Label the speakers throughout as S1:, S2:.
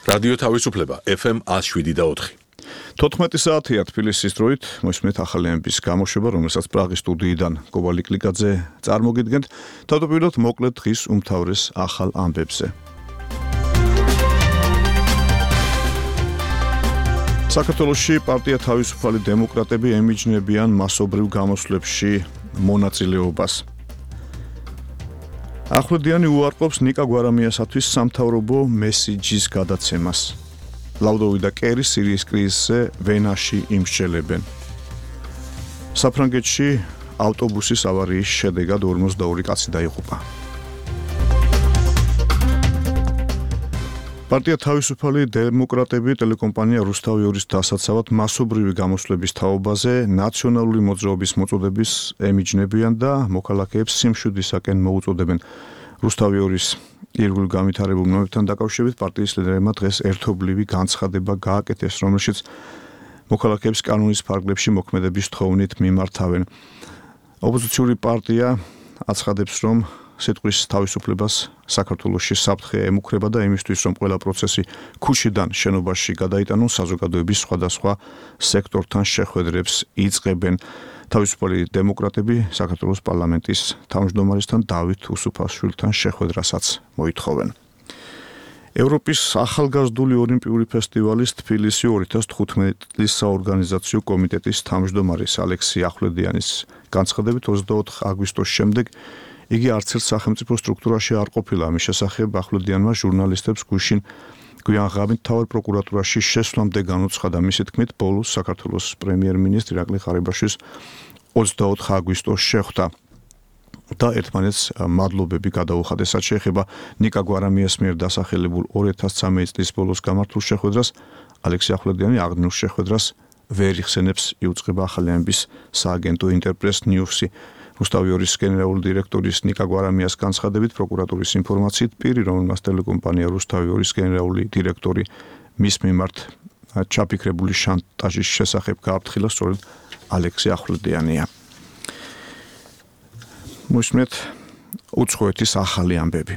S1: რადიო თავისუფლება FM 107.4.
S2: 14 საათია თბილისის დროით, მოსმენთ ახალი ამბის გამოშვება, რომელსაც პრაღის სტუდიიდან კობალი კლიკაძე წარმოგიდგენთ, თავდაპირველად მოკლედ დღის უმთავრეს ახალ ამბებზე. საქართველოში პარტია თავისუფალი დემოკრატები ემიჯნებიან მასობრივ გამოსვლებში მონაწილეობას. ახვლედიანი უარყოფს ნიკა გვარამიასათვის სამთავრობო მესიჯის გადაცემას. ლაუდოვი და კერი სირიის კრიზისზე ვენაში იმსჯელებენ. საფრანგეთში ავტობუსის ავარიის შედეგად 42 კაცი დაიღუპა. პარტია თავისუფალი დემოკრატები ტელეკომპანია რუსთავი-2-ის დასაცავად მასობრივი გამოსვლების თაობაზე ნაციონალური მოძრაობის მოწოდების ემიჯნებიან და მოქალაქეებს სიმშვიდისაკენ მოუწოდებენ. რუსთავი-2-ის ირგვლივ განვითარებულ ნომერთან დაკავშირებით პარტიის ლიდერებმა დღეს ერთობლივი განცხადება გააკეთეს, რომელშიც მოქალაქეებს კანონის ფარგლებში მოქმედების თხოვნით მიმართავენ. ოპოზიციური პარტია აცხადებს, რომ სიტყვის თავისუფლებას საქართველოში საფრთხე ემუქრება და იმისთვის, რომ ყველა პროცესი ქუჩიდან შენობაში გადაიტანონ, საზოგადოების სხვადასხვა სექტორთან შეხვედრებს იწყებენ. თავისუფალი დემოკრატები საქართველოს პარლამენტის თავმჯდომარესთან დავით უსუფაშვილთან შეხვედრასაც მოითხოვენ. ევროპის ახალგაზრდული ოლიმპიური ფესტივალის თბილისი 2015 საორგანიზაციო კომიტეტის თავმჯდომარის ალექსი ახვლედიანის განცხადებით 24 აგვისტოს შემდეგ იგი არც ერთ სახელმწიფო სტრუქტურაში არ ყოფილა. ამის შესახებ ახვლედიანმა ჟურნალისტებს გუშინ გვიანღამით მთავარ პროკურატურაში შესვლამდე განუცხადა. მისი თქმით, ბოლოს საქართველოს პრემიერ-მინისტრი ირაკლი ღარიბაშვილს 24 აგვისტოს შეხვდა და ერთმანეთს მადლობები გადაუხადეს. რაც შეეხება ნიკა გვარამიას მიერ დასახელებულ 2013 წლის ბოლოს გამართულ შეხვედრას, ალექსი ახვლედიანი აღნიშნულ შეხვედრას ვერ იხსენებს, იუწყება ახალი ამბის სააგენტო ინტერპრეს ნიუსი. რუსთავი-2-ის გენერალური დირექტორის ნიკა გვარამიას განცხადებით პროკურატურის ინფორმაციით პირი, რომელმაც ტელეკომპანია რუსთავი-2-ის გენერალური დირექტორი მის მიმართ ჩაფიქრებული შანტაჟის შესახებ გააფრთხილა სწორედ ალექსი ახვლედიანია. მოსმენთ უცხოეთის ახალი ამბები.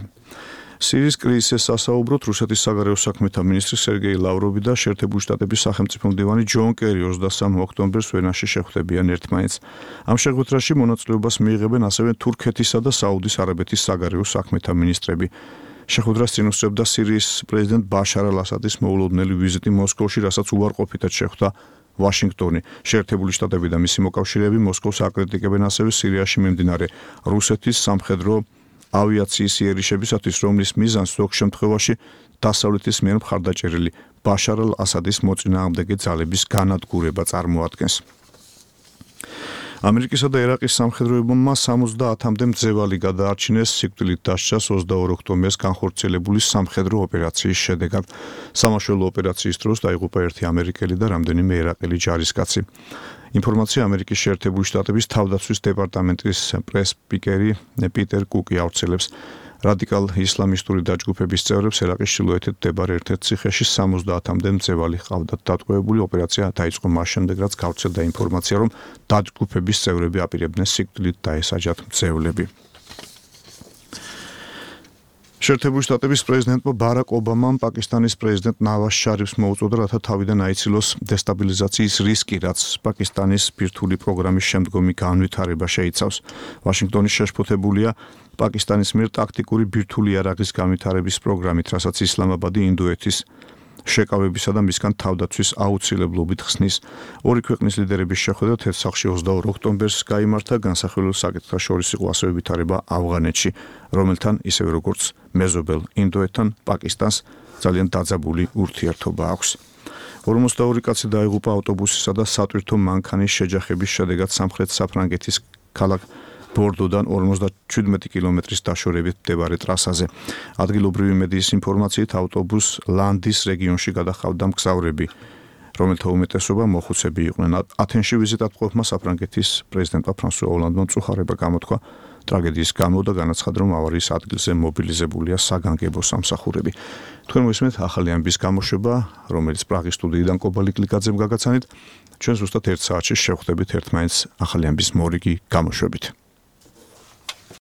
S2: სირიის კრიზისზე სასაუბროდ რუსეთის საგარეო საქმეთა მინისტრი სერგეი ლავროვი და შეერთებული შტატების სახელმწიფო მდივანი ჯონ კერი 23 ოქტომბერს ვენაში შეხვდებიან ერთმანეთს. ამ შეხვედრაში მონაწილეობას მიიღებენ ასევე თურქეთისა და საუდის არაბეთის საგარეო საქმეთა მინისტრები. შეხვედრას წინ უსწრებდა სირიის პრეზიდენტ ბაშარ ალ-ასადის მოულოდნელი ვიზიტი მოსკოვში, რასაც უარყოფითად შეხვდა ვაშინგტონი. შეერთებული შტატები და მისი მოკავშირეები მოსკოვს აკრიტიკებენ ასევე სირიაში მიმდინარე რუსეთის სამხედრო ავიაციის იერიშებისათვის, რომლის მიზანს ზოგ შემთხვევაში დასავლეთის მიერ მხარდაჭერილი ბაშარ ალ-ასადის მოწინააღმდეგე ძალების განადგურება წარმოადგენს. ამერიკისა და ერაყის სამხედროებმა 70-მდე მძევალი გადაარჩინეს სიკვდილით დასჯას 22 ოქტომბერს განხორციელებული სამხედრო ოპერაციის შედეგად. სამაშველო ოპერაციის დროს დაიღუპა ერთი ამერიკელი და რამდენიმე ერაყელი ჯარისკაცი. ინფორმაცია ამერიკის შეერთებული შტატების თავდაცვის დეპარტამენტის პრეს-სპიკერი პიტერ კუკი ავრცელებს. რადიკალ ისლამისტური დაჯგუფების წევრებს ერაყის ჩრდილოეთით მდებარე ერთ-ერთ ციხეში 70-მდე მძევალი ჰყავდათ დატყვევებული. ოპერაცია დაიწყო მას შემდეგ, რაც გავრცელდა ინფორმაცია, რომ დაჯგუფების წევრები აპირებდნენ სიკვდილით დაესაჯათ მძევლები. შეერთებული შტატების პრეზიდენტმა ბარაკ ობამამ პაკისტანის პრეზიდენტ ნავაზ შარიფს მოუწოდა, რათა თავიდან აიცილოს დესტაბილიზაციის რისკი, რაც პაკისტანის ბირთვული პროგრამის შემდგომი განვითარება შეიცავს. ვაშინგტონი შეშფოთებულია პაკისტანის მიერ ტაქტიკური ბირთვული იარაღის განვითარების პროგრამით, რასაც ისლამაბადი ინდოეთის შეკავებისა და მისგან თავდაცვის აუცილებლობით ხსნის. ორი ქვეყნის ლიდერების შეხვედრა თეთრსახში 22 ოქტომბერს გაიმართა. განსახილველ საკითხთა შორის იყო ასევე ვითარება ავღანეთში, რომელთან ისევე როგორც მეზობელ ინდოეთთან პაკისტანს ძალიან დაძაბული ურთიერთობა აქვს. 42 კაცი დაიღუპა ავტობუსისა და სატვირთო მანქანის შეჯახების შედეგად სამხრეთ საფრანგეთის ქალაქ ბორდოდან 57 კილომეტრის დაშორებით მდებარე ტრასაზე. ადგილობრივი მედიის ინფორმაციით ავტობუსს ლანდის რეგიონში გადაჰყავდა მგზავრები, რომელთა უმეტესობა მოხუცები იყვნენ. ათენში ვიზიტად მყოფმა საფრანგეთის პრეზიდენტმა ფრანსუა ოლანდმა მწუხარება გამოთქვა ტრაგედიის გამო და განაცხადა, რომ ავარიის ადგილზე მობილიზებულია საგანგებო სამსახურები. თქვენ მოვისმენთ ახალი ამბის გამოშვება, რომელიც პრაღის სტუდიიდან კობალი კლიკაძემ გაგაცანით. ჩვენ ზუსტად 1 საათში შევხვდებით ერთმანეთს ახალი ამბის მორიგი გამოშვებით.